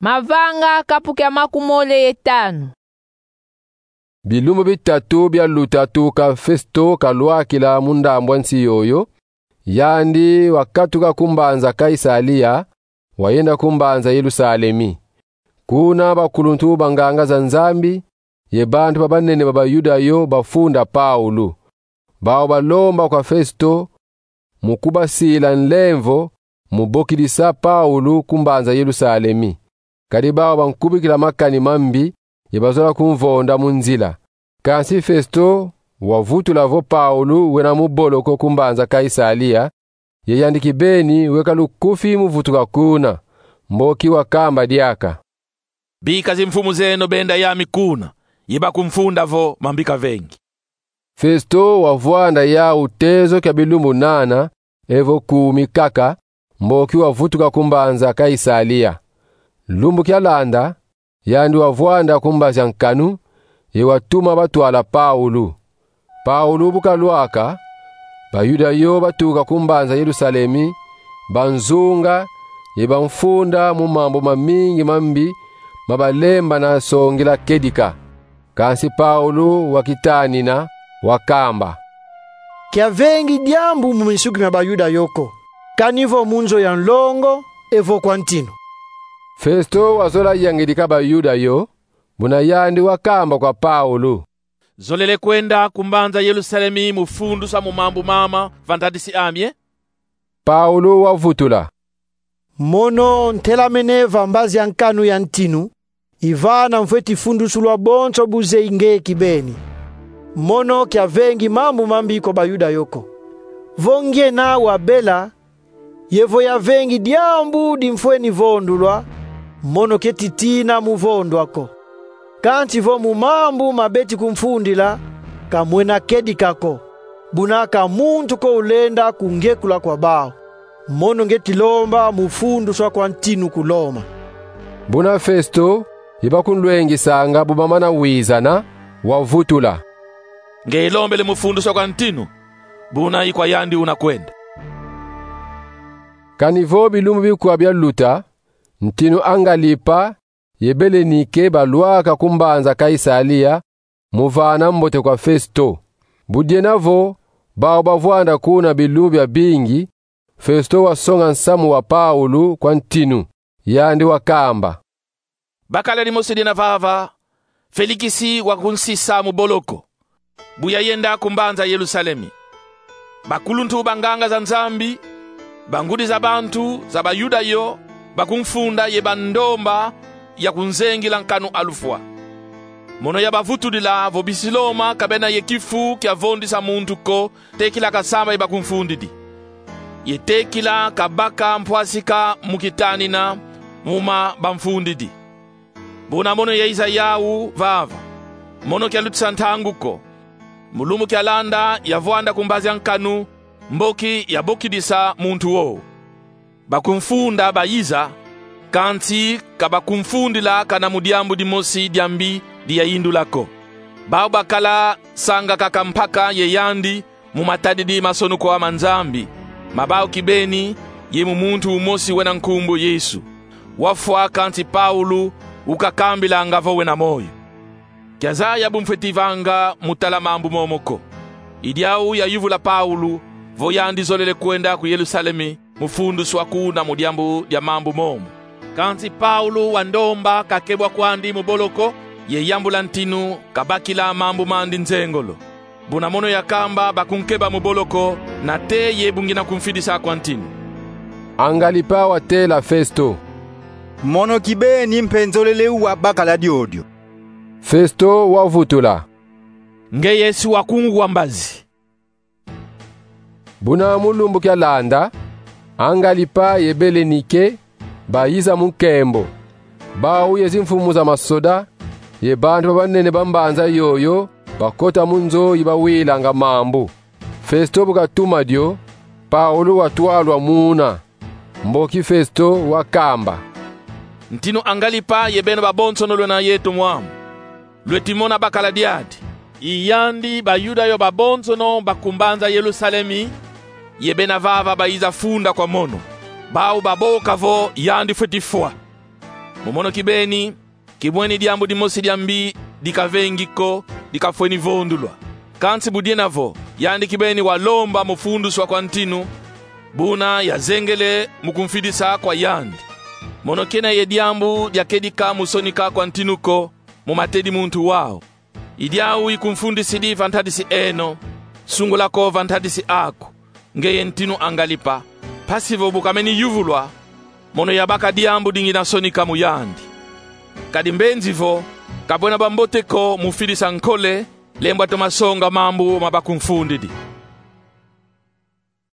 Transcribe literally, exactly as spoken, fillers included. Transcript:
Mavanga kapu kia makumole ye tanu. Bilumbu bitatu bialuta tuka Festo kalwakila mu ndambu a nsi yoyo, yandi wakatuka ku mbanza Kaisalia, wayenda ku mbanza Yerusalemi. Kuna bakuluntu ba nganga za Nzambi ye bantu ba banene ba Bayuda yo bafunda Paulu. Bau balomba kwa Festo mu kubasila nlemvo mu bokidisa Paulu ku mbanza Yerusalemi. Kadi bau bankubikila makani mambi ye bazola kumvonda mu nzila. Kansi Festo wavutula vo Paulu wena mu boloko ku mbanza Kaisalia, ye yandi kibeni weka lukufi mu vutuka kuna, mboki wakamba diaka: Bika zimfumu zeno benda yami kuna, ye bakumfunda vo mambi kavengi. Festo wavwanda yau tezo kia bilumbu nana, evo kumi kaka, mboki wavutuka ku mbanza Kaisalia. Lumbu kialanda, yandi wavwanda ku mbazi a nkanu, ye watuma batwala Paulu. Paulu bu kalwaka, Bayuda yo batuka ku mbanza Yerusalemi, banzunga, ye bamfunda mu mambu mamingi mambi ma balembana songila kedika. Kansi Paulu wakitanina, wakamba: Kiavengi diambu mu misukina Bayuda yo ko, kani vo mu nzo ya nlongo, evo kwa ntinu. Festo wazola yangidika Bayuda yo, buna yandi wakamba kwa Paulu: Zolele kwenda ku mbanza Yerusalemi mu fundusa mu mambu mama va ntadisi ami, e? Paulu wavutula: Mono ntelamene va mbazi a nkanu ya ntinu, i vana mfweti fundusulwa bonso bu zeyi nge kibeni. Mono kiavengi mambu mambi kwa Bayuda yo ko. Vo ngiena wabela, ye vo yavengi diambu dimfweni vondulwa, mono keti tina mu vondwa ko. Kansi vo mu mambu ma beti kumfundila, ka mwena kedika ko, buna ka muntu ko ulenda kungekula kwa bau. Mono ngeti lomba mu funduswa kwa ntinu ku Loma. Buna Festo ye bakunlwengisanga bu bamana wizana, wavutula: Nge lombele mu funduswa kwa ntinu, buna i kwa yandi una kwenda. Kani vo bilumbu bikwa bialuta, ntinu Angalipa ye Belenike balwaka ku mbanza Kaisalia, mu vana mbote kwa Festo. Bu diena vo bau bavwanda kuna bilumbu biabingi, Festo wasonga nsamu wa Paulu kwa ntinu. Yandi wakamba: Bakala dimosi diena vava, Felikisi wakunsisa mu boloko, bu yayenda ku mbanza Yerusalemi. Bakuluntu ba nganga za Nzambi, bangudi za bantu za Bayuda yo, bakumfunda ye bandomba ya kunzengila nkanu a lufwa. Mono yabavutudila vo bisi Loma ka bena ye kifu kia vondisa muntu ko, tekila kasamba ye bakumfundidi. Ye tekila kabaka mpwasika mu kitanina mu ma bamfundidi. Buna mono yayiza yau vava, mono kialutisa ntangu ko. Mu lumbu kialanda yavwanda ku mbazi a nkanu, mboki yabokidisa muntu wo. Bakumfunda bayiza, kansi ka bakumfundila kana mu diambu dimosi diambi di yayindula ko. Bau bakala sanga kaka mpaka ye yandi mu matadidi masonukwa ma Nzambi, ma bau kibeni, ye mu muntu umosi wena nkumbu Yesu. Wafwa, kansi Paulu ukakambilanga vo wena moyo. Kiazaya bu mfweti vanga mu tala mambu momo ko. I diau yayuvula Paulu vo yandi zolele kwenda ku Yerusalemi mu funduswa kuna mu diambu dia mambu momo. Kansi Paulu wandomba kakebwa kwandi mu boloko, ye yambula ntinu kabakila mambu mandi nzengolo. Buna mono yakamba bakunkeba mu boloko, nate ye bu ngina kumfidisa kwa ntinu. Angalipa watela Festo: Mono kibeni mpe nzolele wa bakala diodio. Festo wavutula: Ngeye si wakungwa mbazi. Buna mu lumbu kialanda, Angalipa ye Belenike bayiza mu nkembo, bau ye zimfumu za masoda ye bantu ba banene ba mbanza yoyo bakota mu nzo yi bawilanga mambu. Festo bu katuma dio, Paulu watwalwa muna. Mboki Festo wakamba: Ntinu Angalipa ye beno babonsono lwena yeto mwamu, lweti mona bakala diadi. I yandi Bayuda yo babonsono ba ku mbanza Yerusalemi ye bena vava bayiza funda kwa mono. Bau baboka vo yandi fweti fwa. Mu mono kibeni, kimweni diambu dimosi diambi dikavengi ko, dikafweni vondulwa. Kansi bu diena vo yandi kibeni walomba mu fundiswa kwa ntinu, buna yazengele mu kumfidisa kwa yandi. Mono kena ye diambu diakedika mu sonika kwa ntinu ko mu matedi muntu wau. I diau ikumfundisidi va ntadisi eno, sungula ko va ntadisi aku, ngeye ntinu angalipa. Mpasi vo bu kameni yuvulwa, mono yabaka diambu di ngina sonika mu yandi. Kadi mbenzi vo, ka bwena bambote ko mu fidisa nkole, lembwa toma songa mambu ma bakumfundidi.